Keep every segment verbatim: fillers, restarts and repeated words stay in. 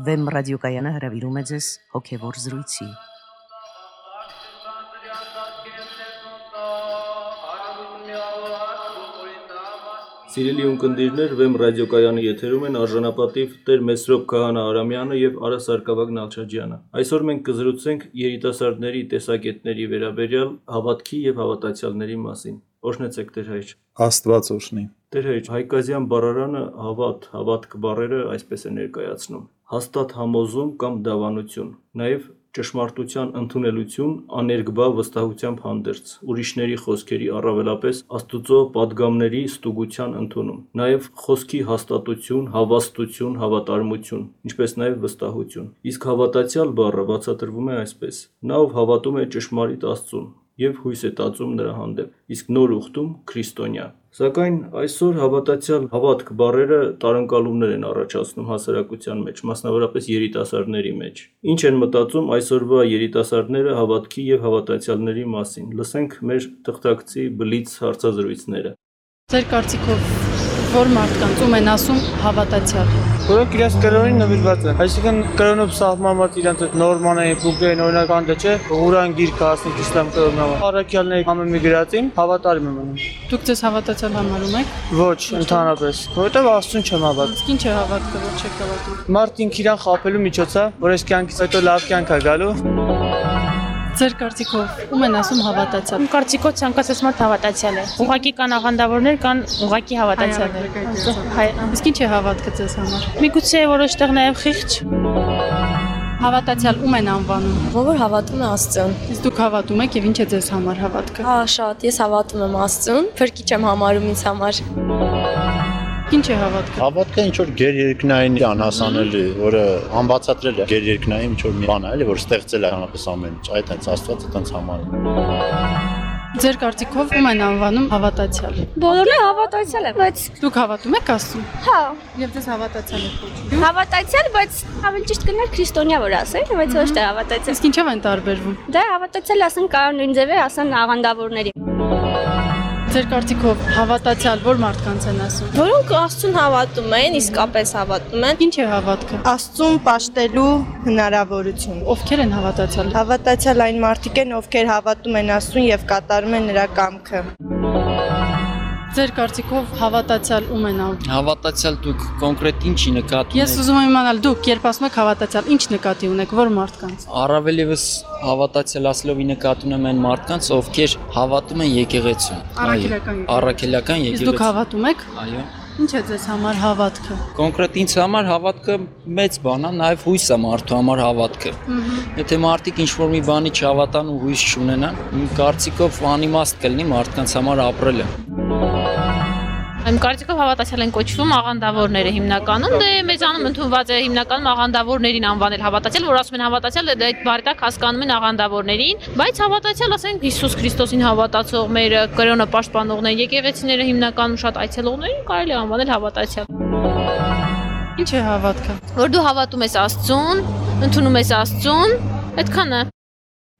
Վեմ ռադիոկայանը հրավիրում է ձեզ հոգևոր զրույցի։ Սիրելի ունկնդիրներ, Վեմ ռադիոկայանի եթերում են արժանապատիվ Տեր Մեսրոպ Քահանա Արամյանը եւ Արա Սարգսակյան Նալչաջյանը։ Այսօր մենք կզրուցենք երիտասարդների տեսակետների վերաբերյալ հավատքի եւ հավատացյալների մասին։ Օրհնեցեք Տեր հայր։ Աստված օրհնի։ Տեր հայր, հայկազյան բառարանը հավատ, հավատք բառերը այսպես է ներկայացնում. հաստատ համոզում կամ դավանություն, նաեւ ճշմարտության ընդունելություն, աներկբա վստահությամբ հանդերձ, ուրիշների խոսքերի առավելապես Աստուծո պատգամների ստուգության ընդունում, նաև խոսքի հաստատություն, հավաստություն, հավատարմություն, ինչպես նաև վստահություն։ Իսկ հավատացյալ բառը բացատրվում է այսպես. նա ով հավատում է ճշմարիտ Աստծուն եւ հույս է տածում նրա հանդեպ, իսկ նոր ուխտում քրիստոնյա։ Սակայն այսօր հավատացյալ հավատք բառերը տարընկալումներ են առաջացնում հասարակության մեջ, մասնավորապես երիտասարդների մեջ։ Ինչ են մտածում այսօրվա երիտասարդները հավատքի եւ հավատացյալների մասին։ Լսենք մեր թղթակցի բլից հարցազրույցները։ Ձեր կարծիքով որ մարդկանց ում են ասում հավատացյալ։ Որոնք իրենց կրոնին նվիրված են, այսինքն կրոնով սահմանված իրենց այդ նորմանային փուկերին օրինական դե չէ, Ղուրան գիրքը ասենք իսլամ կրոնով։ Առաքյալների ամեն մի գրածին հավատարիմ եմ անում։ Դուք ձեզ հավատացյալ համարում եք։ Ոչ, ընդհանրապես, որովհետև Աստծուն չեմ հավատում։ Իսկ ինչ է հավատքը, որ չեք հավատում։ Մարդը ինքն իրան խաբելու միջոց է, որ այս կյանքից հետո լավ կյանք է գալու։ Ձեր կարծիքով ում են ասում հավատացյալ։ Իմ կարծիքով ցանկացած մարդ հավատացյալ է։ Ուղղակի կան աղանդավորներ, կան ուղղակի հավատացյալներ։ Իսկ ինչ է հավատքը ձեզ համար։ Միգուցե որոշ տեղ նաև խիղճ։ Հավատացյալ ում են անվանում։ Ով հավատում է Աստծուն։ Իսկ դուք հավատում եք եւ ինչ է ձեզ համար հավատքը։ Հա, շատ, ես հավատում եմ Աստծուն, փրկիչ եմ համարում ինձ համար։ Ինչ է հավատքը։ Հավատքը ինչ որ գերերկնային անհասանելի, որը անբացատրել է գերերկնային ինչ որ մի բան է, էլի, որ ստեղծել է հանրապես ամեն ինչ, այդ հենց Աստվածը տենց համարում։ Ձեր կարծիքով ում են անվանում հավատացյալ։ Բոլորը հավատացյալ են, բայց դուք հավատում եք Աստծուն։ Հա, եւ ձեզ հավատացյալ եք կոչում։ հավատացյալ, բայց ավելի ճիշտ կներ քրիստոնյա որ ասել, բայց ոչ թե հավատացյալ։ Իսկ ինչով են տարբերվում։ Դա հավատացյալ ասեն կարող նույն ձևի ասեն աղանդավորների։ Ձեր կարծիքով հավատացյալ որ մարդկանց են ասում։ Որոնք Աստծուն հավատում են, իսկապես հավատում են։ Ինչ է հավատքը։ Աստծուն պաշտելու հնարավորություն։ Ովքեր են հավատացյալ։ Հավատացյալ այն մարդիկ են, ովքեր հավատում են Աստծուն եւ կատարում են նրա կամքը։ Ձեր կարծիքով հավատացյալ ում են անում։ Հավատացյալ դուք կոնկրետ ինչի նկատի ունեք։ Ես ուզում եմ իմանալ դուք երբ ասում եք հավատացյալ, ինչ նկատի ունեք, որ մարդկանց։ Առավել եւս հավատացյալ ասելով նկատի ունեմ այն մարդկանց, ովքեր հավատում են եկեղեցուն։ Առաքելական եկեղեցի։ Առաքելական եկեղեցի։ Իսկ դուք հավատում եք։ Այո։ Ինչ է ձեզ համար հավատքը։ Կոնկրետ ինձ համար հավատքը մեծ բան է, նաև հույս է մարդու համար հավատքը։ Եթե մարդիկ ինչ-որ մի բանի չհավատան ու հույս չունենան, իմ կարծիքով անիմաստ կլինի մարդկանց համար ապրելը։ Իմ կարծիքով հավատացյալ են կոչվում աղանդավորները հիմնականում, դե մեզանում ընդունված է հիմնականում աղանդավորներին անվանել հավատացյալ, որ ասում են հավատացյալ, դե այդ բառի տակ հասկանում են աղանդավորներին, բայց հավատացյալ ասենք Հիսուս Քրիստոսին հավատացողները, կրոնը պաշտպանողները, եկեղեցիները հիմնականում շատ այցելողներին կարելի է անվանել հավատացյալ։ Ինչ է հավատքը։ Որ դու հավատում ես Աստծուն, ընդունում ես Աստծուն, այդքան է։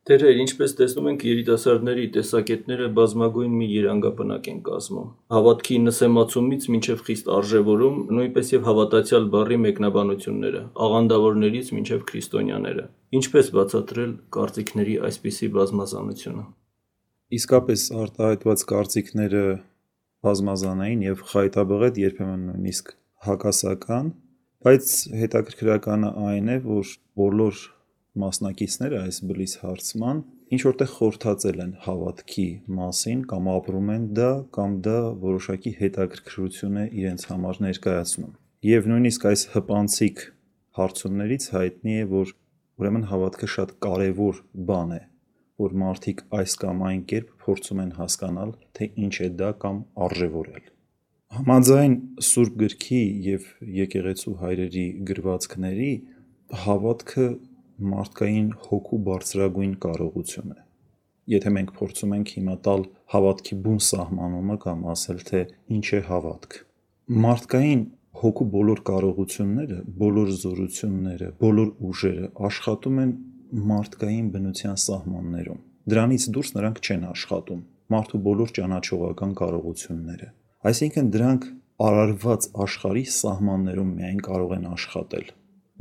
Տեր հայր, ինչպես տեսնում ենք, երիտասարդների տեսակետները բազմագույն մի երանգապնակ են կազմում։ Հավատքի նսեմացումից մինչև խիստ արժևորում, նույնպես եւ հավատացյալ բառի մեկնաբանությունները, աղանդավորներից մինչև քրիստոնյաները։ Ինչպես բացատրել կարծիքների այսպիսի բազմազանությունը։ Իսկապես արտահայտված կարծիքները բազմազանային եւ խայտաբղետ երբեմն նույնիսկ հակասական, բայց հետաքրքրականը այն է, որ բոլոր մասնակիցները այս բլիզ հարցման ինչ որտեղ խորհրդածել են հավատքի մասին կամ ապրում են դա կամ դա որոշակի հետաքրքրություն է իրենց համար ներկայացնում։ Եվ նույնիսկ այս հպանցիկ հարցումներից հայտնի է, որ ուրեմն հավատքը շատ կարևոր բան է, որ մարդիկ այս կամ այն կերպ փորձում են հասկանալ, թե ինչ է դա կամ արժևորել։ Համաձայն Սուրբ Գրքի եւ եկեղեցու հայրերի գրվածքների հավատքը մարդկային հոգու բարձրագույն կարողություն է։ Եթե մենք փորձում ենք հիմա տալ հավատքի բուն սահմանումը կամ ասել, թե ինչ է հավատք։ Մարդկային հոգու բոլոր կարողությունները, բոլոր զորությունները, բոլոր ուժերը աշխատում են մարդկային բնության սահմաններում։ Դրանից դուրս նրանք չեն աշխատում։ Մարդու բոլոր ճանաչողական կարողությունները։ Այսինքն դրանք արարված աշխարհի սահմաններում միայն կարող են աշխատել։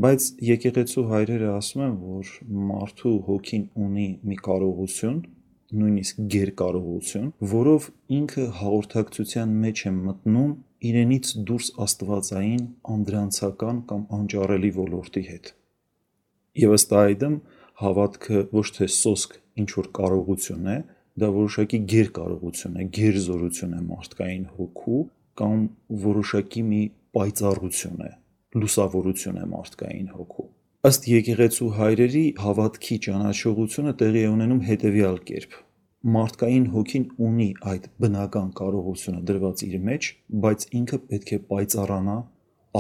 Բայց եկեղեցու հայրերը ասում են, որ մարդու հոգին ունի մի կարողություն, նույնիսկ գերկարողություն, որով ինքը հաղորդակցության մեջ է մտնում իրենից դուրս աստվածային անդրանցական կամ անճարելի ոլորտի հետ։ Եվ ըստ այդմ հավատքը ոչ թե սոսկ ինչ-որ կարողություն է, դա որոշակի գերկարողություն է, գերզորություն է մարդկային հոգու կամ որոշակի մի պայծառություն է, լուսավորություն է մարդկային հոգու։ Ըստ եկեղեցու հայրերի հավատքի ճանաչողությունը տեղի է ունենում հետևյալ կերպ. մարդկային հոգին ունի այդ բնական կարողությունը դրված իր մեջ, բայց ինքը պետք է պայծառանա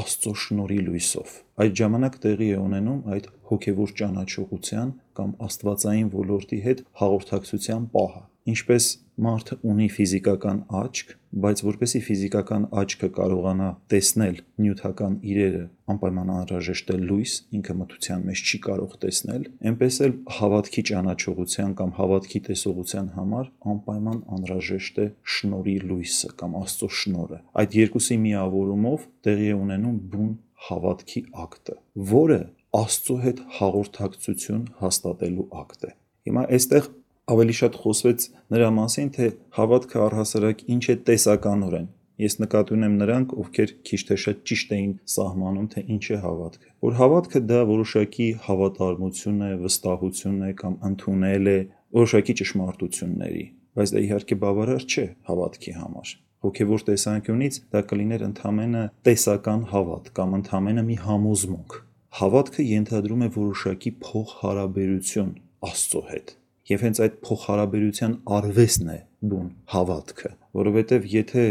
Աստծո շնորհի լույսով։ Այդ ժամանակ տեղի է ունենում այդ հոգևոր ճանաչողության կամ աստվածային ոլորտի հետ հաղորդակցության պահը։ Ինչպես մարդը ունի ֆիզիկական աչք, բայց որպեսզի ֆիզիկական աչքը կարողանա տեսնել նյութական իրերը, անպայման անհրաժեշտ է լույս, ինքը մթության մեջ չի կարող տեսնել, այնպես էլ հավատքի ճանաչողության կամ հավատքի տեսողության համար անպայման անհրաժեշտ է շնորհի լույսը կամ Աստծո շնորհը։ Այդ երկուսի միավորումով տեղի է ունենում բուն հավատքի ակտը, որը Աստծո հետ հաղորդակցություն հաստատելու ակտ է։ Հիմա այստեղ ավելի շատ խոսվեց նրա մասին, թե հավատքը առհասարակ ինչ է տեսականորեն։ Ես նկատի ունեմ նրանք, ովքեր քիչ թե շատ ճիշտ էին սահմանում, թե ինչ է հավատքը։ Որ հավատքը դա որոշակի հավատարմություն է, վստահություն է կամ ընդունել է որոշակի ճշմարտությունների, բայց դա իհարկե բավարար չէ հավատքի համար։ Հոգևոր տեսանկյունից դա կլիներ ընդամենը տեսական հավատ կամ ընդամենը մի համոզմունք։ Հավատքը ենթադրում է որոշակի փոխհարաբերություն Աստծո հետ։ Եվ հենց այդ փոխհարաբերության արվեստն է բուն հավատքը, որովհետև եթե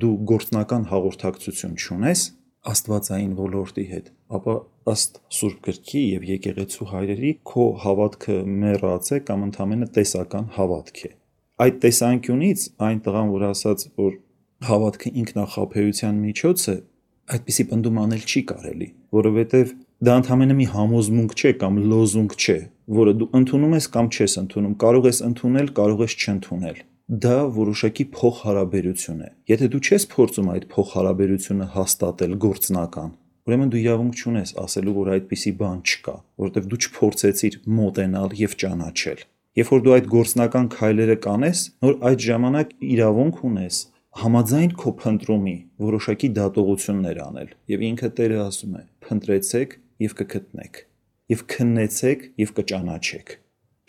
դու գործնական հաղորդակցություն չունես աստվածային ոլորտի հետ, ապա ըստ Սուրբ Գրքի եւ եկեղեցու հայրերի քո հավատքը մեռած է կամ ընդամենը տեսական հավատք է։ Այդ տեսանկյունից այն տղան, որ ասաց, որ հավատքը ինքնախաբեության միջոց է, այդպիսի պնդում անել չի կարելի, որովհետև դա ընդամենը մի համոզմունք չէ կամ լոզունգ չէ, որը դու ընդունում ես կամ չես ընդունում, կարող ես ընդունել, կարող ես չընդունել։ Դա որոշակի փոխհարաբերություն է։ Եթե դու չես փորձում այդ փոխհարաբերությունը հաստատել գործնական, ուրեմն դու իրավունք չունես ասելու, որ այդպիսի բան չկա, որովհետև դու չփորձեցիր մոտենալ եւ ճանաչել։ Երբ որ դու այդ գործնական քայլերը կանես, նոր այդ ժամանակ իրավունք ունես համաձայն քո փնտրումի որոշակի դատողություններ անել։ Եվ ինքը Տերը ասում է. «Փնտրեցեք եւ կգտնեք, եւ քննեցեք եւ կճանաչեք»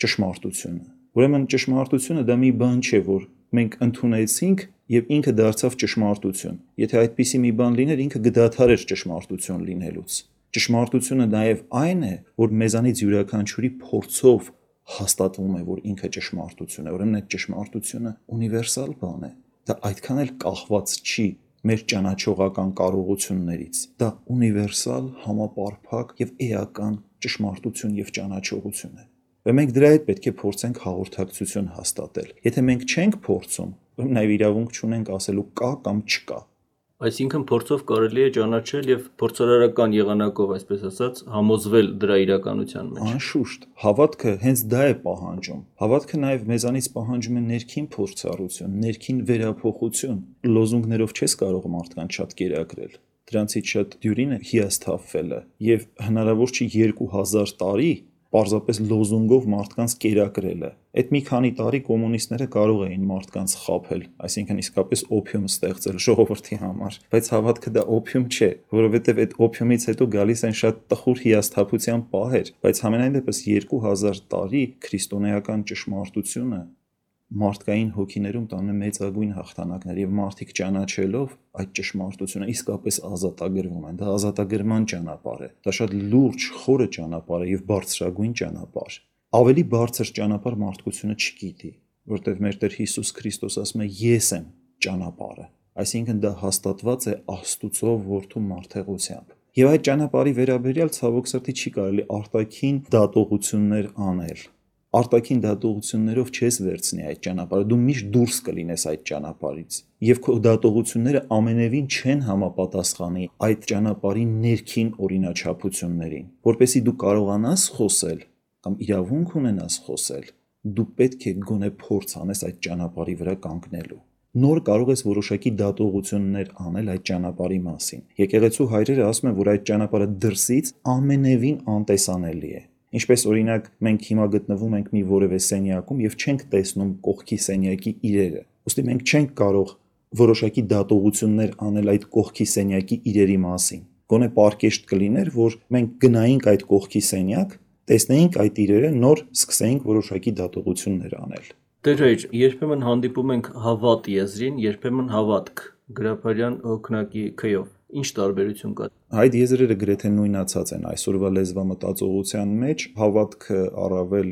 ճշմարտությունը։ Ուրեմն ճշմարտությունը դա մի բան չէ, որ մենք ընդունեցինք եւ ինքը դարձավ ճշմարտություն։ Եթե այդպիսի մի բան լիներ, ինքը կդադարեր ճշմարտություն լինելուց։ Ճշմարտությունը նաեւ այն է, որ մեզանից յուրաքանչյուրի փորձով հաստատվում է, որ ինքը ճշմարտություն է։ Ուրեմն այդ ճշմարտությունը ունիվերսալ բան է։ Դա այդքան էլ կախված չի մեր ճանաչողական կարողություններից։ Դա ունիվերսալ, համապարփակ եւ էական ճշմարտություն եւ ճանաչողություն է։ Và մենք դրա հետ պետք է փորձենք հաղորդակցություն հաստատել։ Եթե մենք չենք փորձում, ուրեմն նաև իրավունք չունենք ասելու կա կամ չկա։ Այսինքն փորձով կարելի է ճանաչել եւ փորձարարական եղանակով, այսպես ասած, համոզվել դրա իրականության մեջ։ Անշուշտ, հավատքը հենց դա է պահանջում։ Հավատքը նաև մեզանից պահանջում է ներքին փորձառություն, ներքին վերափոխություն։ Լոզունգներով չես կարող մարդկանց շատ կերակրել։ Դրանցից շատ դյուրին է հիասթափվելը, եւ հնարավոր չի երկու հազար տարի պարզապես լոզունգով մարդկանց կերակրելը։ Այդ մի քանի տարի կոմունիստները կարող էին մարդկանց խաբել, այսինքն իսկապես օփիում ստեղծել ժողովրդի համար, բայց հավատքը դա օփիում չէ, որովհետև այդ օփիումից հետո գալիս են շատ տխուր հիասթափության պահեր, բայց համենայն դեպս երկու հազար տարի քրիստոնեական ճշմարտությունը մարդկային հոգիներում տանում է մեծագույն հաղթանակներ եւ մարդիկ ճանաչելով այդ ճշմարտությունը իսկապես ազատագրվում են։ Դա ազատագրման ճանապարհ է։ Դա շատ լուրջ, խորը ճանապարհ է եւ բարձրագույն ճանապարհ։ Ավելի բարձր ճանապարհ մարդկությունը չգիտի, որտեղ մեր Տեր Հիսուս Քրիստոս ասում է. «Ես եմ ճանապարհը»։ Այսինքն դա հաստատված է Աստուծո որդու մարդեղությամբ։ Եվ այդ ճանապարհի վերաբերյալ ցավոք սրտի չի կարելի արտաքին դատողություններ անել։ Արտաքին դատողություններով չես վերցնի այդ ճանապարհը, դու միշտ դուրս կլինես այդ ճանապարհից։ Եվ քո դատողությունները ամենևին չեն համապատասխանի այդ ճանապարհի ներքին օրինաչափություններին։ Որպեսզի դու կարողանաս խոսել կամ իրավունք ունենաս խոսել, դու պետք է գոնե փորձ անես այդ ճանապարհի վրա կանգնելու։ նոր կարող ես որոշակի դատողություններ անել այդ ճանապարհի մասին։ Եկեղեցու հայրերը ասում են, որ այդ ճանապարհը դրսից ամենևին անտեսանելի է։ Ինչպես օրինակ մենք հիմա գտնվում ենք մի որևէ սենյակում եւ չենք տեսնում կողքի սենյակի իրերը։ Ոստի մենք չենք կարող որոշակի դատողություններ անել այդ կողքի սենյակի իրերի մասին։ Գոնե պարկեշտ կլիներ, որ մենք գնայինք այդ կողքի սենյակ, տեսնեինք այդ իրերը, նոր սկսեինք որոշակի դատողություններ անել։ Տեր հայր, երբեմն հանդիպում ենք հավատ եզրին, երբեմն հավատք Գրիգորյան հոգնակի քյով։ Ինչ տարբերություն կա։ Այդ եզրերը գրեթե նույնացած են այսօրվա լեզվամտածողության մեջ, հավատքը առավել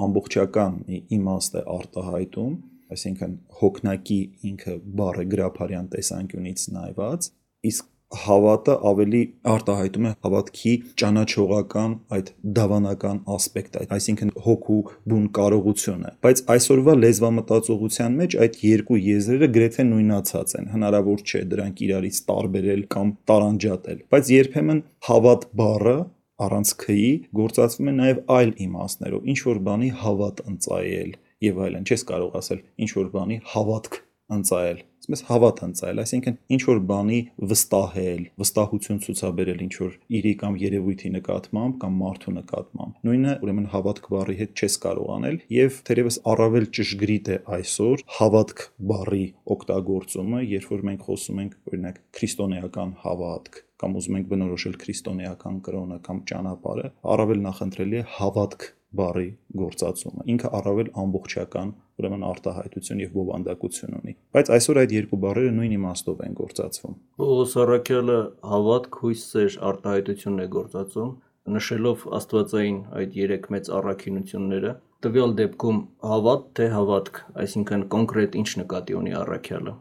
ամբողջական մի իմաստ է արտահայտում, այսինքն հոգնակի ինքը բառը գրիգորյան տեսանկյունից նայված, իսկ հավատը ավելի արտահայտում է հավատքի ճանաչողական այդ դավանական ասպեկտը, այսինքն հոգու բուն կարողությունը։ Բայց այսօրվա լեզվամտածողության մեջ այդ երկու եզրերը գրեթե նույնացած են, հնարավոր չէ դրանք իրարից տարբերել կամ տարանջատել։ Բայց երբեմն հավատ բառը առանց ք'ի գործածվում է նաև այլ իմաստներով, ինչ որ բանի հավատ ընծայել եւ այլն, չես կարող ասել ինչ որ բանի հավատք ընծայել, ասես հավատ ընծայել, այսինքն ինչ որ բանի վստահել, վստահություն ցուցաբերել ինչ որ իրի կամ երևույթի նկատմամբ կամ մարդու նկատմամբ։ Նույնը ուրեմն հավատք բառի հետ չես կարող անել եւ թերևս առավել ճշգրիտ է այսօր հավատք բառի օգտագործումը, երբ որ մենք խոսում ենք օրինակ քրիստոնեական հավատք կամ ուզում ենք բնորոշել քրիստոնեական կրոնը կամ ճանապարհը, առավել նախընտրելի է հավատք բառի գործածումը։ Ինքը առավել ամբողջական ուրեմն արտահայտություն եւ բովանդակություն ունի։ Բայց այսօր այդ երկու բառերը նույն իմաստով են գործածվում։ Պողոս առաքյալը հավատք, հույս, սեր արտահայտությունն է գործածում, նշելով աստվածային այդ երեք մեծ առաքինությունները։ Տվյալ դեպքում հավատ թե հավատք, այսինքն կոնկրետ ինչ նկատի ունի առաքյալը։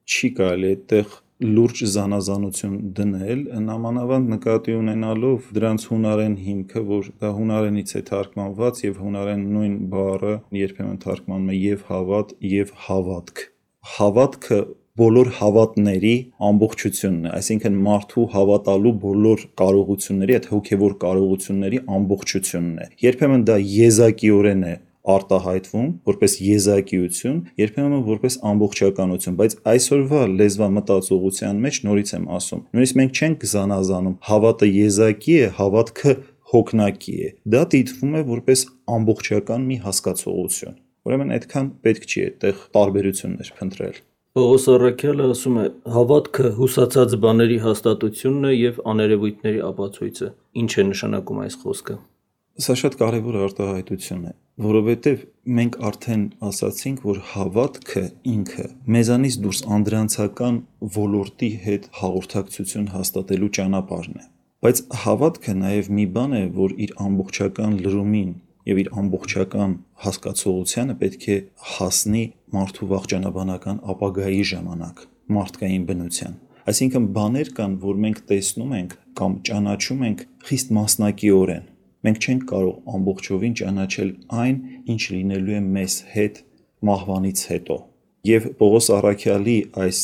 Չի կարելի այդտեղ լուրջ զանազանություն դնել, նամանավանդ նկատի ունենալով դրանց հունարեն հիմքը, որ դա հունարենից է թարգմանված եւ հունարեն նույն բառը երբեմն թարգմանում է եւ հավատ եւ հավատք։ Հավատքը բոլոր հավատների ամբողջությունն է, այսինքն մարդու հավատալու բոլոր կարողությունների, այդ հոգեվոր կարողությունների ամբողջությունն է։ Երբեմն դա եզակիորեն է արտահայտվում որպես եզակիություն, երբեմն որպես ամբողջականություն, բայց այսօրվա լեզվամտածողության մեջ նորից եմ ասում, նույնիսկ մենք չենք զանազանում հավատը եզակի է, հավատքը հոգնակի է։ Դա դիտվում է որպես ամբողջական մի հասկացողություն։ Ուրեմն այդքան պետք չի այդտեղ տարբերություններ փնտրել։ Պողոս առաքյալը ասում է. հավատքը հուսացած բաների հաստատությունն է եւ աներևույթների ապացույցը։ Ինչ է նշանակում այս խոսքը։ Սա շատ կարևոր արտահայտություն է, որովհետև մենք արդեն ասացինք, որ հավատքը ինքը մեզանից դուրս անդրանցական ոլորտի հետ հաղորդակցություն հաստատելու ճանապարհն է։ Բայց հավատքը նաև մի բան է, որ իր ամբողջական լրումին եւ իր ամբողջական հասկացողությանը պետք է հասնի մարդու վաղճանաբանական ապագայի ժամանակ, մարդկային բնության։ Այսինքն բաներ կան, որ մենք տեսնում ենք կամ ճանաչում ենք խիստ մասնակիորեն։ Մենք չենք կարող ամբողջովին ճանաչել այն, ինչ լինելու է մեզ հետ մահվանից հետո։ Եվ Պողոս առաքյալի այս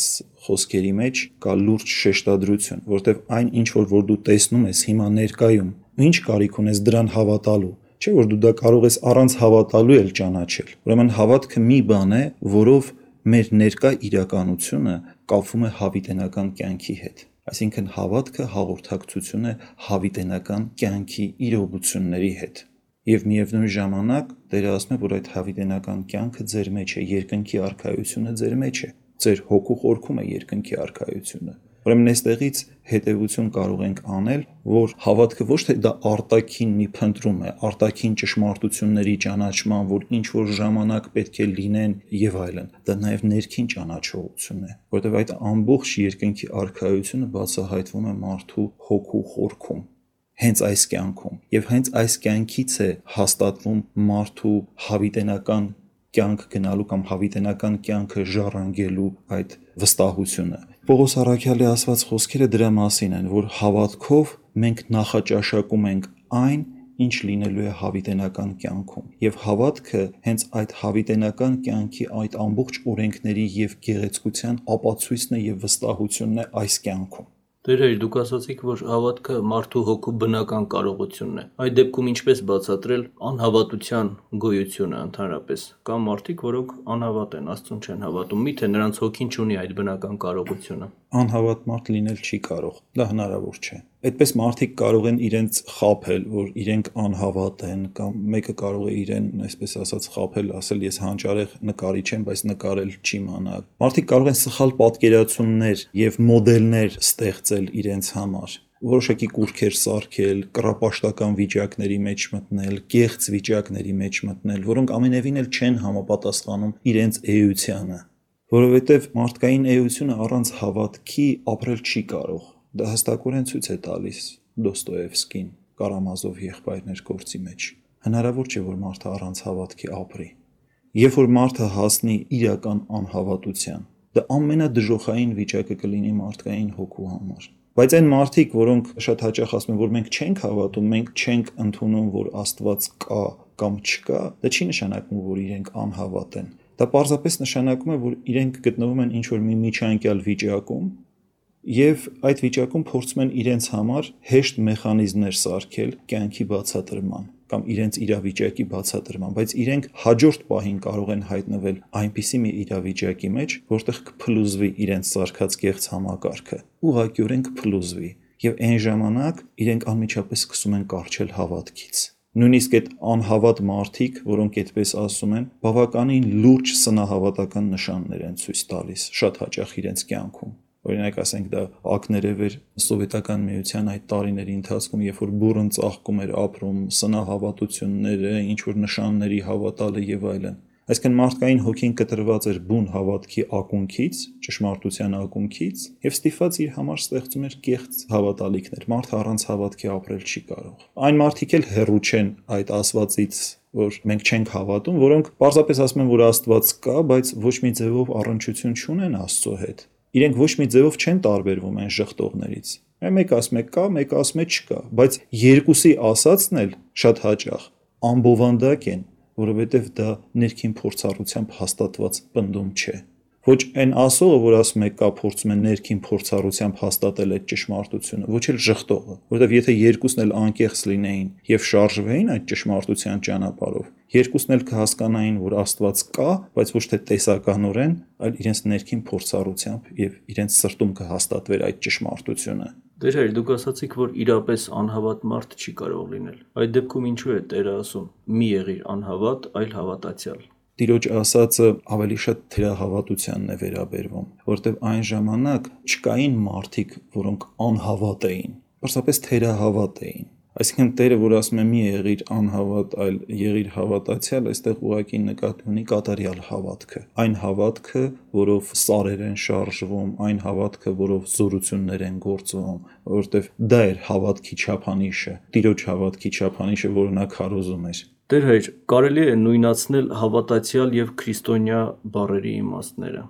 խոսքերի մեջ կա լուրջ շեշտադրություն, որտեղ այն ինչ որ, որ դու տեսնում ես հիմա ներկայում, ինչ կարիք ունես դրան հավատալու, չէ՞ որ դու դա կարող ես առանց հավատալու էլ ճանաչել։ Ուրեմն հավատքը մի բան է, որով մեր ներկա իրականությունը կապվում է հավիտենական կյանքի հետ։ Այսինքն հավատքը հաղորդակցություն է հավիտենական կյանքի իրողությունների հետ։ Եվ միևնույն ժամանակ Տերը ասում է, որ այդ հավիտենական կյանքը ձեր մեջ է, երկնքի արքայությունը ձեր մեջ է, ձեր հոգու խորքում է երկնքի արքայությունը։ Ուրեմն այստեղից հետևություն կարող ենք անել, որ հավատքը ոչ թե դա արտաքին մի փնտրում է, արտաքին ճշմարտությունների ճանաչման, որ ինչ որ ժամանակ պետք է լինեն եւ այլն, դա նաեւ ներքին ճանաչողություն է, որովհետեւ այդ ամբողջ երկնքի արքայությունը բացահայտվում է մարդու հոգու խորքում, հենց այս կյանքում, եւ հենց այս կյանքից է հաստատվում մարդու հավիտենական կյանք գնալու կամ հավիտենական կյանքը ժառանգելու այդ վստահությունը։ Պողոս առաքյալի ասված խոսքերը դրա մասին են, որ հավատքով մենք նախաճաշակում ենք այն, ինչ լինելու է հավիտենական կյանքում։ Եվ հավատքը հենց այդ հավիտենական կյանքի այդ ամբողջ օրենքների եւ գեղեցկության ապացույցն է եւ վստահությունն է այս կյանքում։ Դեր հայր, դուք ասացիք, որ հավատքը մարդու հոգու բնական կարողությունն է։ Այդ դեպքում ինչպես բացատրել անհավատության գոյությունը ընդհանրապես։ Կամ մարդիկ, որոնք անհավատ են, Աստծուն չեն հավատում, միթե նրանց հոգին չունի այդ բնական կարողությունը։ Անհավատ մարդ լինել չի կարող, դա հնարավոր չէ։ Այդպես մարդիկ կարող են իրենց խաբել, որ իրենք անհավատ են, կամ մեկը կարող է իրեն, այսպես ասած, խաբել, ասել ես հանճարեղ նկարիչ եմ, բայց նկարել չի մանա։ Մարդիկ կարող են սխալ պատկերացումներ եւ մոդելներ ստեղծել իրենց համար, որոշակի կուրքեր սարքել, կռապաշտական վիճակների մեջ մտնել, կեղծ վիճակների մեջ մտնել, որոնք ամենևին էլ չեն համապատասխանում իրենց էությանը, որովհետեւ մարդկային էությունը առանց հավատքի ապրել չի կարող։ Դա հստակորեն ցույց է տալիս Դոստոևսկին Կարամազով եղբայրներ գործի մեջ։ Հնարավոր չէ, որ մարդը առանց հավատքի ապրի։ Երբ որ մարդը հասնի իրական անհավատության, դա ամենադժոխային վիճակը կլինի մարդկային հոգու համար։ Բայց այն մարդիկ, որոնք շատ հաճախ ասում են, որ մենք չենք հավատում, մենք չենք ընդունում, որ Աստված կա կամ չկա, դա չի նշանակում, որ իրենք անհավատ են։ Դա պարզապես նշանակում է, որ իրենք գտնվում են ինչ-որ մի միջանկյալ վիճակում եւ այդ վիճակում փորձում են իրենց համար հեշտ մեխանիզմներ սարքել կյանքի բացատրման կամ իրենց իրավիճակի բացատրման, բայց իրենք հաջորդ պահին կարող են հայտնվել այնպիսի մի իրավիճակի մեջ, որտեղ կփլուզվի իրենց սարքած կեղծ համակարգը, ուղղակիորեն կփլուզվի, եւ այն ժամանակ իրենք անմիջապես սկսում են կառչել հավատքից։ Նույնիսկ այդ անհավատ մարդիկ, որոնք այդպես ասում են, բավականին լուրջ սնահավատական նշաններ են ցույց տալիս շատ հաճախ իրենց կյանքում։ Օրինակ ասենք դա ակներև էր սովետական միության այդ տարիների ընթացքում, երբ որ բուռն ծաղկում էր ապրում, սնահավատությունները, ինչ որ նշանների հավատալը եւ այլն։ Այսինքն մարդկային հոգին կտրված էր բուն հավատքի ակունքից, ճշմարտության ակունքից, եւ ստիպված իր համար ստեղծում էր կեղծ հավատալիքներ։ Մարդը առանց հավատքի ապրել չի կարող։ Այն մարդիկ էլ հեռու չեն այդ ասվածից, որ մենք չենք հավատում, որոնք պարզապես ասում են, որ Աստված կա, բայց ոչ մի ձևով առնչություն չունեն Աստծո հետ։ Իրենք ոչ մի ձևով չեն տարբերվում այն ժխտողներից։ Մեկ ասում է կա, մեկ ասում է չկա, բայց երկուսի ասածն էլ շատ հաճախ ամբովանդակ են, որովհետև դա ներքին փորձառությամբ հաստատված պնդում չէ։ Ոչ այն ասողը, որ ասում է կա, փորձում է ներքին փորձառությամբ հաստատել այդ ճշմարտությունը, ոչ էլ ժխտողը, որովհետև եթե երկուսն էլ անկեղծ լինեին եւ շարժվեին այդ ճշմարտության ճանապարհով, երկուսն էլ կհասկանային, որ Աստված կա, բայց ոչ թե տեսականորեն, այլ իրենց ներքին փորձառությամբ եւ իրենց սրտում կհաստատվեր այդ ճշմարտությունը։ Դեր հայր, դուք ասացիք, որ իրապես անհավատ մարդ չի կարող լինել։ Այդ դեպքում ինչու է Տերը ասում՝ մի եղիր անհավատ, այլ հավատացյալ։ Տիրոջ ասածը ավելի շատ թերահավատությանն է վերաբերվում, որտեղ այն ժամանակ չկային մարդիկ, որոնք անհավատ էին, պարզապես թերահավատ էին։ Այսինքն Տերը, որ ասում է մի եղիր անհավատ, այլ եղիր հավատացյալ, այստեղ ուղղակի նկատի ունի կատարյալ հավատքը։ Այն հավատքը, որով սարեր են շարժվում, այն հավատքը, որով զորություններ են գործվում, որովհետև դա էր հավատքի չափանիշը, Տիրոջ հավատքի չափանիշը, որը նա քարոզում էր։ Դեր հայր, կարելի է նույնացնել հավատացյալ եւ քրիստոնյա բառերի իմաստները։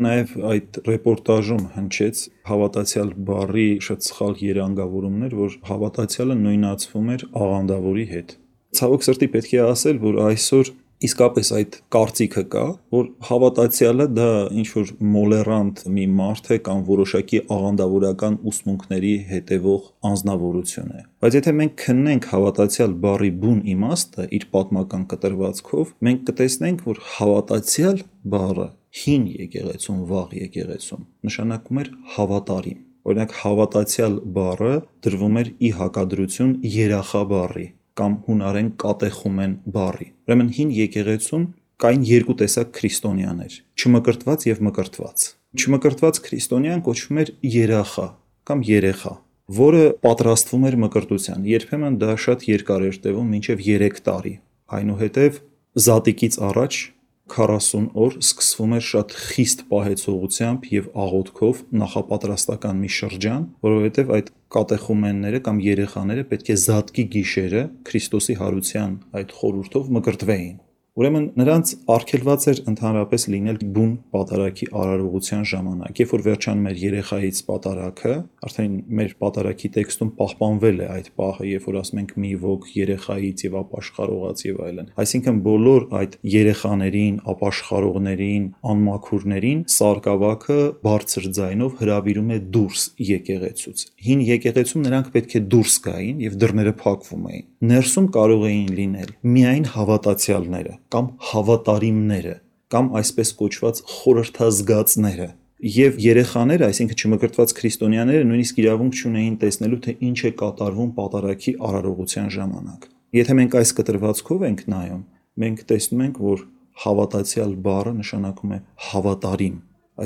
Նաև այդ ռեպորտաժում հնչեց հավատացյալ բառի շատ սխալ երանգավորումներ, որ հավատացյալը նույնացվում էր աղանդավորի հետ։ Ցավոք սրտի պետք է ասել, որ այսօր իսկապես այդ կարծիքը կա, որ հավատացյալը դա ինչ-որ մոլերանտ մի մարդ է կամ որոշակի աղանդավորական ուսմունքների հետևող անձնավորություն է։ Բայց եթե մենք քննենք հավատացյալ բառի բուն իմաստը իր պատմական կտրվածքով, մենք կտեսնենք, որ հավատացյալ բառը հին եկեղեցում, վաղ եկեղեցում նշանակում էր հավատարիմ։ Օրինակ հավատացյալ բառը դրվում էր ի հակադրություն երախա բառի կամ հունարեն կատեխումեն բառի։ Ուրեմն հին եկեղեցում կային երկու տեսակ քրիստոնյաներ՝ չմկրտված եւ մկրտված։ Չմկրտված քրիստոնյան կոչվում էր երախա կամ երեխա, որը պատրաստվում էր մկրտության։ Երբեմն դա շատ երկար էր տևում, մինչև երեք տարի։ Այնուհետև զատիկից առաջ քառասուն օր սկսվում էր շատ խիստ պահեցողությամբ եւ աղոթքով նախապատրաստական մի շրջան, որովհետեւ այդ կատեխումենները կամ երեխաները պետք է զատկի գիշերը Քրիստոսի հարության այդ խորհուրդով մկրտվեին։ Ուրեմն նրանց արգելված էր ընդհանրապես լինել բուն պատարագի արարողության ժամանակ։ Երբ որ վերջանում էր երեխայից պատարագը, արդեն մեր պատարագի տեքստում պահպանվել է այդ պահը, երբ որ ասում ենք մի ոգ երեխայից եւ ապաշխարողած եւ այլն։ Այսինքն բոլոր այդ երեխաներին, ապաշխարողներին, անմաքուրներին սարգսակը բարձր ձայնով հրավիրում է դուրս եկեղեցուց։ Հին եկեղեցում նրանք պետք է դուրս գային եւ դռները փակվում էին։ Ներսում կարող էին լինել միայն հավատացյալները կամ հավատարիմները կամ այսպես կոչված խորհրդազգացները եւ երեխաները, այսինքն չմկրտված քրիստոնյաները նույնիսկ իրավունք չունեին տեսնելու թե ինչ է կատարվում պատարագի արարողության ժամանակ։ Եթե մենք այս կտրվածքով ենք նայում, մենք տեսնում ենք, որ հավատացյալ բառը նշանակում է հավատարիմ,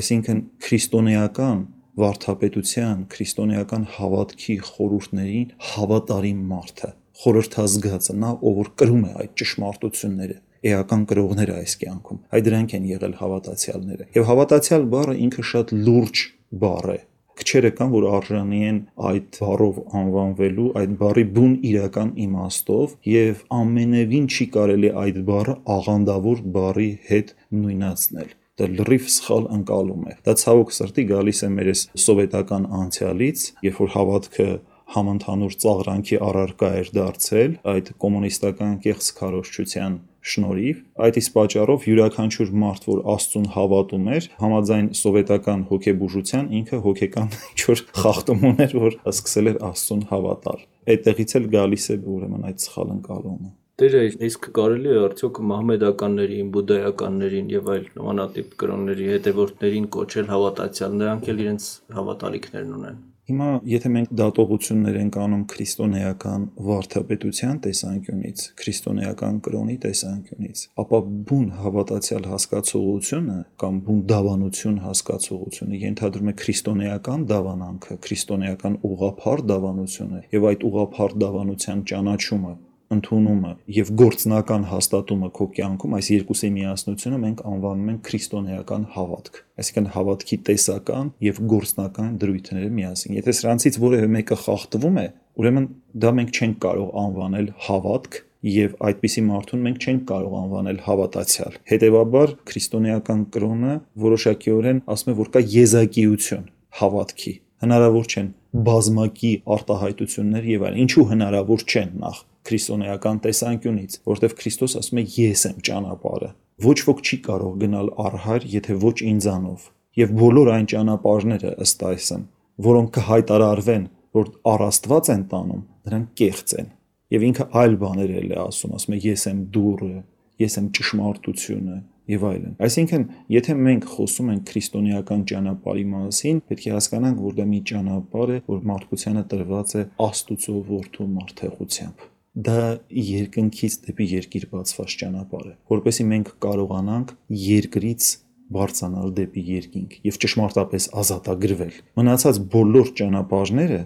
այսինքն քրիստոնեական վարդապետության, քրիստոնեական հավատքի խորհուրդներին հավատարիմ մարդը, խորհրդազգացը, նա ով որ կրում է այդ ճշմարտությունները, էական կրողները այս կյանքում, այդ դրանք են եղել հավատացյալները։ Եվ հավատացյալ բառը ինքը շատ լուրջ բառ է։ Քչերը կան, որ արժանի են այդ բառով անվանվելու, այդ բառի բուն իրական իմաստով, եւ ամենևին չի կարելի այդ բառը աղանդավոր բառի հետ նույնացնել։ Դա լրիվ սխալ ընկալում է։ Դա ցավոք սրտի գալիս է մեր սովետական անցյալից, երբ որ հավատքը համընդհանուր ծաղրանքի առարկա էր դարձել այդ կոմունիստական կեղծ քարոզչության շնորհիվ, այդ իսկ պատճառով յուրաքանչյուր մարդ, որ Աստծուն հավատում էր, համաձայն սովետական հոգեբուժության, ինքը հոգեկան ինչ-որ խախտում ուներ, որ սկսել էր Աստծուն հավատալ։ Այդտեղից էլ գալիս է ուրեմն այդ սխալ ընկալումը։ Դեր իսկ կարելի է արդյոք մահմեդականներին, բուդդայականներին եւ այլ նմանատիպ կրոնների հետևորդներին կոչել հավատացյալ, նրանք էլ իրենց հավատալիքներն ունեն։ Հիմա եթե մենք դատողություններ ենք անում քրիստոնեական վարդապետության տեսանկյունից, քրիստոնեական կրոնի տեսանկյունից, ապա բուն հավատացյալ հասկացողությունը կամ բուն դավանություն հասկացողությունը ենթադրում է քրիստոնեական դավանանքը, քրիստոնեական ուղղափառ դավանությունը եւ այդ ուղղափառ դավանության ճանաչումը, ընդունումը եւ գործնական հաստատումը քո կյանքում, այս երկուսի միասնությունը մենք անվանում ենք քրիստոնեական հավատք, այսինքն հավատքի տեսական եւ գործնական դրույթները միասին։ Եթե սրանցից որևէ մեկը խախտվում է, ուրեմն դա մենք չենք կարող անվանել հավատք եւ այդպիսի մարդուն մենք չենք կարող անվանել հավատացյալ։ Հետեւաբար քրիստոնեական կրոնը որոշակիորեն ասում է, որ կա եզակիություն հավատքի։ Հնարավոր չեն բազմակի արտահայտություններ եւ այլն։ Ինչու հնարավոր չեն նախ քրիստոնեական տեսանկյունից, որտեղ Քրիստոս ասում է ես եմ ճանապարհը։ Ոչ ոք չի կարող գնալ առհար, եթե ոչ ինձանով։ Եվ բոլոր այն ճանապարհները ըստ այսմ, որոնք կհայտարարվեն, որ առ Աստված են տանում, նրանք կեղծ են։ Եվ ինքը այլ բաներ էլ է ասում, ասում է ես եմ դուռը, ես եմ ճշմարտությունը եւ այլն։ Այսինքն, եթե մենք խոսում ենք քրիստոնեական ճանապարհի մասին, պետք է հասկանանք, որ դա մի ճանապարհ է, որ մարդկությանը տրված է Աստծո որդու մարդեղությամբ։ Դա երկնքից դեպի երկիր բացված ճանապարհ է, որովհետեւ մենք կարողանանք երկրից բարձրանալ դեպի երկինք եւ ճշմարտապես ազատագրվել։ Մնացած բոլոր ճանապարհները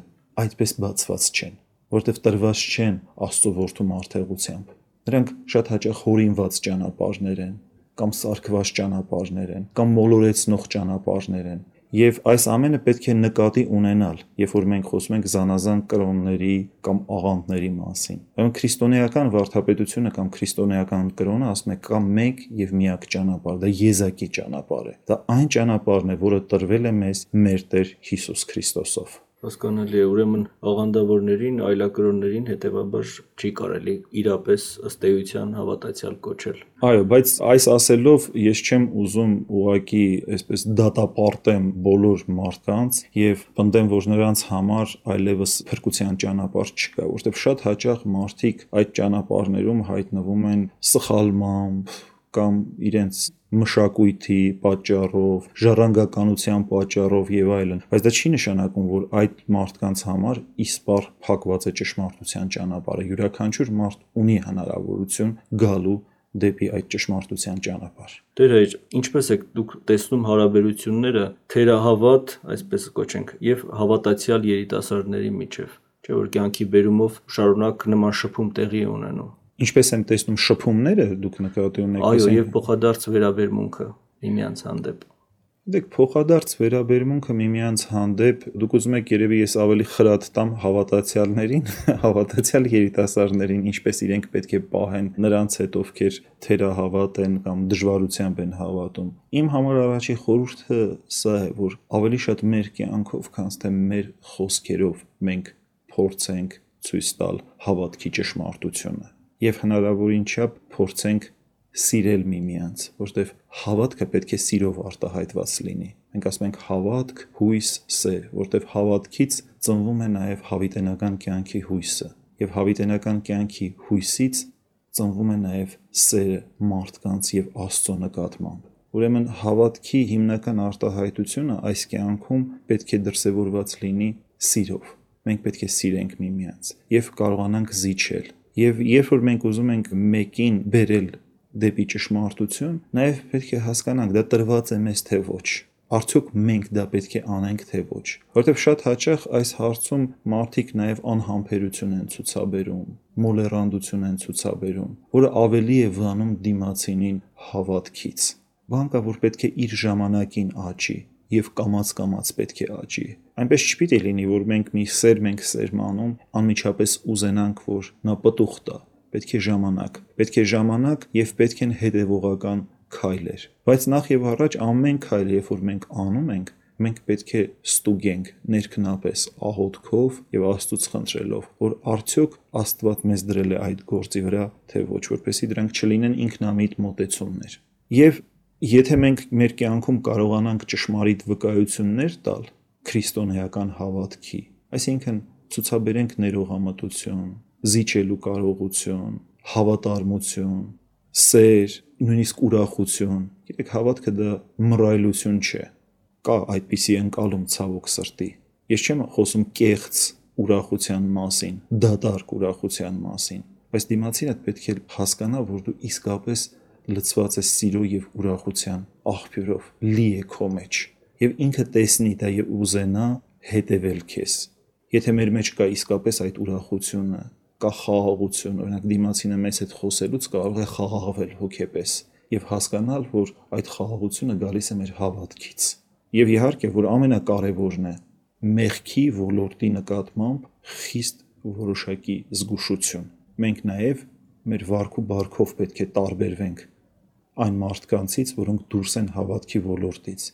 այդպես բացված չեն, որովհետեւ տրված չեն Աստծո որդու մարդեղությամբ։ Նրանք շատ հաճախ հորինված ճանապարհներ են, կամ սարքված ճանապարհներ են, կամ մոլորեցնող ճանապարհներ են։ Եվ այս ամենը պետք է նկատի ունենալ, երբ որ մենք խոսում ենք զանազան կրոնների կամ աղանդների մասին։ Ուրեմն քրիստոնեական վարդապետությունը կամ քրիստոնեական կրոնը ասում է կա մեկ եւ միակ ճանապարհ, դա եզակի ճանապարհ է։ Դա այն ճանապարհն է, որը տրվել է մեզ մեր Տեր Հիսուս Քրիստոսով։ Հասկանալի է, ուրեմն աղանդավորներին, այլակրոններին հետևաբար չի կարելի իրապես ըստ էության հավատացյալ կոչել։ Այո, բայց այս ասելով ես չեմ ուզում ուղղակի այսպես դատապարտեմ բոլոր մարդկանց եւ պնդեմ, որ նրանց համար այլևս փրկության ճանապարհ չկա, որովհետեւ շատ հաճախ մարդիկ այդ ճանապարհներում հայտնվում են սխալմամբ կամ իրենց մշակույթի պատճառով, ժառանգականության պատճառով եւ այլն, բայց դա չի նշանակում, որ այդ մարդկանց համար իսպառ փակված է ճշմարտության ճանապարհը։ Յուրաքանչյուր մարդ ունի հնարավորություն գալու դեպի այդ ճշմարտության ճանապարհ։ Տեր հայր, ինչպես եք դուք տեսնում հարաբերությունները թերահավատ, այսպես կոչենք, եւ հավատացյալ երիտասարդների միջև, չէ՞ որ կյանքի բերումով շարունակ նման շփում տեղի ունենում։ Ինչպես եմ տեսնում շփումները, դուք նկատի ունեք։ Այո, եւ փոխադարձ վերաբերմունքը միմյանց հանդեպ։ Դեք փոխադարձ վերաբերմունքը միմյանց հանդեպ, դուք ուզում եք երևի ես ավելի խրատ տամ հավատացյալներին, հավատացյալ երիտասարդներին, ինչպես իրենք պետք է պահեն նրանց հետ, ովքեր թերահավատ են կամ դժվարությամբ են հավատում։ Իմ համար առաջի խորհուրդը սա է, որ ավելի շատ մեր կյանքով, քան թե մեր խոսքերով մենք փորձենք ցույց տալ հավատքի ճշմարտությունը եւ հնարավորին չափ փորձենք սիրել միմյանց, որտեղ հավատքը պետք է սիրով արտահայտված լինի։ Մենք ասում ենք հավատք, հույս, սեր, որտեղ հավատքից ծնվում է նաև հավիտենական կյանքի հույսը, եւ հավիտենական կյանքի հույսից ծնվում է նաև սերը մարդկանց եւ Աստծո նկատմամբ։ Ուրեմն հավատքի հիմնական արտահայտությունը այս կյանքում պետք է դրսևորված լինի սիրով։ Մենք պետք է սիրենք միմյանց եւ կարողանանք զիջել։ Եվ երբ որ մենք ուզում ենք մեկին բերել դեպի ճշմարտություն, նաև պետք է հասկանանք դա տրված է մեզ թե ոչ։ Արդյոք մենք դա պետք է անենք թե ոչ։ Որտեղ շատ հաճախ այս հարցում մարդիկ նաև անհամբերություն են ցուցաբերում, մոլեռանդություն են ցուցաբերում, որը ավելի է վանում դիմացինին հավատքից։ Բան կա, որ պետք է իր ժամանակին աճի եւ կամաց-կամաց պետք է աճի։ Այնպես չպիտի լինի, որ մենք մի սեր մենք սերմանում անմիջապես ուզենանք, որ նա պտուղ տա։ Պետք է ժամանակ, պետք է ժամանակ եւ պետք են հետեւողական քայլեր։ Բայց նախ եւ առաջ ամեն քայլ, երբ որ մենք անում ենք, մենք պետք է ստուգենք ներքնապես աղոթքով եւ Աստծուց խնդրելով, որ արդյոք Աստված մեզ դրել է այդ գործի վրա, թե ոչ, որպեսզի դրանք չլինեն ինքնամիտ մոտեցումներ։ Եվ եթե մենք մեր կյանքում կարողանանք ճշմարիտ վկայություններ տալ քրիստոնեական հավատքի, այսինքն ցուցաբերենք ներողամտություն, զիջելու կարողություն, հավատարմություն, սեր, նույնիսկ ուրախություն։ Գիտեք, հավատքը դա մռայլություն չէ։ Կա այդպիսի ընկալում ցավոք սրտի։ Ես չեմ խոսում կեղծ ուրախության մասին, դատարկ ուրախության մասին, բայց դիմացինդ պետք է հասկանա, որ դու իսկապես լցված ես սիրո եւ ուրախության աղբյուրով, լի է քո մեջ, եւ ինքը տեսնի դա եւ ուզենա հետևել քեզ։ Եթե մեր մեջ կա իսկապես այդ ուրախությունը, կա խաղաղություն, օրինակ դիմացինը մեզ հետ խոսելուց կարող է խաղաղվել հոգեպես եւ հասկանալ, որ այդ խաղաղությունը գալիս է մեր հավատքից։ Եվ իհարկե, որ ամենակարևորն է մեղքի ոլորտի նկատմամբ խիստ որոշակի զգուշություն։ Մենք նաեւ մեր վարք ու բարքով պետք է տարբերվենք այն մարդկանցից, որոնք դուրս են հավատքի ոլորտից։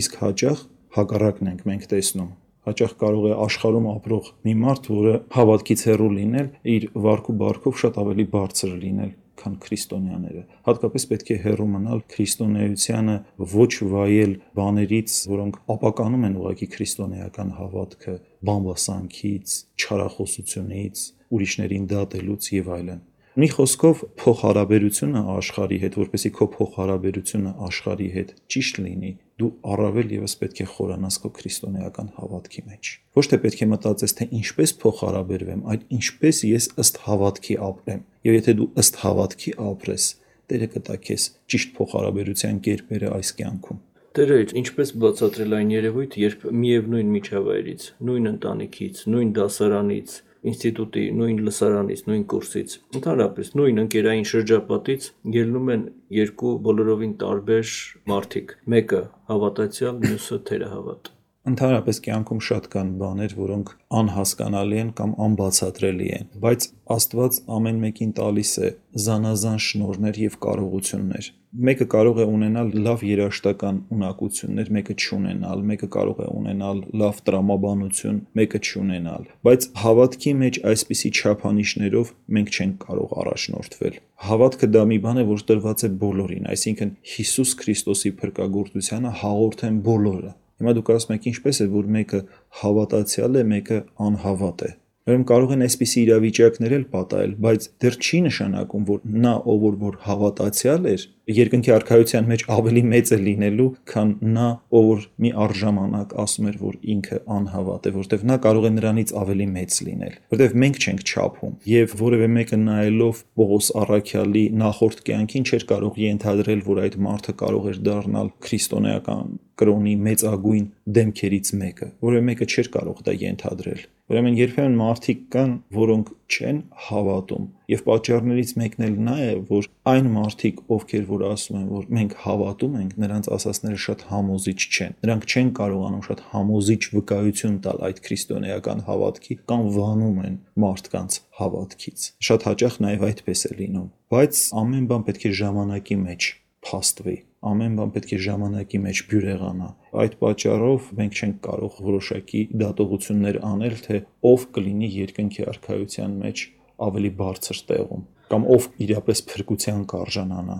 Իսկ հաճախ հակառակն ենք մենք տեսնում։ Հաճախ կարող է աշխարհում ապրող մի մարդ, որը հավատքից հեռու լինել, իր վարք ու բարքով շատ ավելի բարձր լինել, քան քրիստոնյաները։ Հատկապես պետք է հեռու մնալ քրիստոնեությանը ոչ վայել բաներից, որոնք ապականում են ուղղակի քրիստոնեական հավատքը, բամբասանքից, չարախոսությունից, ուրիշներին դատելուց եւ այլն։ Մի խոսքով փոխհարաբերությունը աշխարհի հետ, որպեսզի քո փոխհարաբերությունը աշխարհի հետ ճիշտ լինի, դու առավել եւս պետք է խորանաս քո քրիստոնեական հավատքի մեջ։ Ոչ թե պետք է մտածես, թե ինչպես փոխհարաբերվեմ, այլ ինչպես ես ըստ հավատքի ապրեմ։ Եվ եթե դու ըստ հավատքի ապրես, Տերը կտա քեզ ճիշտ փոխհարաբերության կերպերը այս կյանքում։ Տերը ինչպես բացատրել այն երևույթ, երբ միևնույն միջավայրից, նույն ընտանիքից, նույն դասարանից, ինստիտուտի, նույն լսարանից, նույն կուրսից, ընդհանրապես նույն ընկերային շրջապատից ելնում են երկու բոլորովին տարբեր մարդիկ, մեկը հավատացյալ, մյուսը թերահավատ։ Ընդհանրապես կյանքում շատ կան բաներ, որոնք անհասկանալի են կամ անբացատրելի են, բայց Աստված ամեն մեկին տալիս է զանազան շնորհներ եւ կարողություններ։ Մեկը կարող է ունենալ լավ երաժշտական ունակություններ, մեկը չունենալ, մեկը կարող է ունենալ լավ տրամաբանություն, մեկը չունենալ, բայց հավատքի մեջ այսպիսի չափանիշներով մենք չենք կարող առաջնորդվել։ Հավատքը դա մի բան է, որ տրված է բոլորին, այսինքն Հիսուս Քրիստոսի փրկagorցությանը հաղորդ են բոլորը։ Հիմա դուք ասում եք ինչպես է, որ մեկը հավատացյալ է, մեկը անհավատ է։ Ուրեմն կարող են այսպիսի իրավիճակներ էլ պատահել, բայց դեռ չի նշանակում, որ նա, ով որ հավատացյալ էր, երկնքի արքայության մեջ ավելի մեծ է լինելու, քան նա, ով որ մի առժամանակ ասում էր, որ ինքը անհավատ է, որտեղ նա կարող է նրանից ավելի մեծ լինել, որտեղ մենք չենք չափում, եւ որևէ մեկը նայելով Պողոս առաքյալի նախորդ կյանքին չէր կարող ենթադրել, որ այդ մարդը կարող էր դառնալ քրիստոնեական կրոնի մեծագույն դեմքերից մեկը, որևէ մեկը չէր կարող դա ենթադրել։ Ուրեմն երբեմն մարդիկ կան, որոնք չեն հավատում։ Եվ պատճառներից մեկն էլ նա է, որ այն մարդիկ, ովքեր որ ասում են, որ մենք հավատում ենք, նրանց ասածները շատ համոզիչ չեն։ Նրանք չեն կարողանում շատ համոզիչ վկայություն տալ այդ քրիստոնեական հավատքի կամ վանում են մարդկանց հավատքից։ Շատ հաճախ նաև այդպես է լինում։ Բայց ամեն բան պետք է ժամանակի մեջ փաստվի։ Ամեն բան պետք է ժամանակի մեջ բյուրեղանա։ Այդ պատճառով մենք չենք կարող որոշակի դատողություններ անել, թե ով կլինի երկնքի արքայության մեջ ավելի բարձր տեղում, կամ ով իրապես փրկության կարժանանա։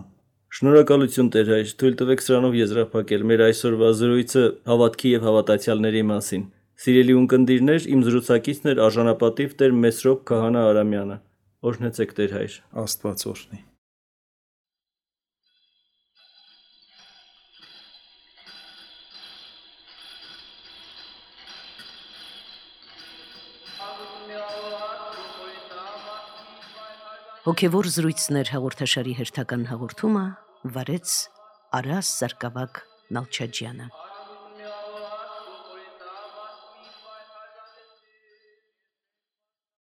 Շնորհակալություն Տեր հայր, թույլ տվեք սրանով եզրափակել մեր այսօրվա զրույցը հավատքի եւ հավատացյալների մասին։ Սիրելի ունկնդիրներ, իմ զրուցակիցն էր արժանապատիվ Տեր Մեսրոպ Քահանա Արամյանը։ Օրհնեցեք Տեր հայր։ Աստված օրհնի։ Հոգևոր զրույցներ հաղորդաշարի հերթական հաղորդումը վարեց Արաս Սարգսակ Նալչաջյանը։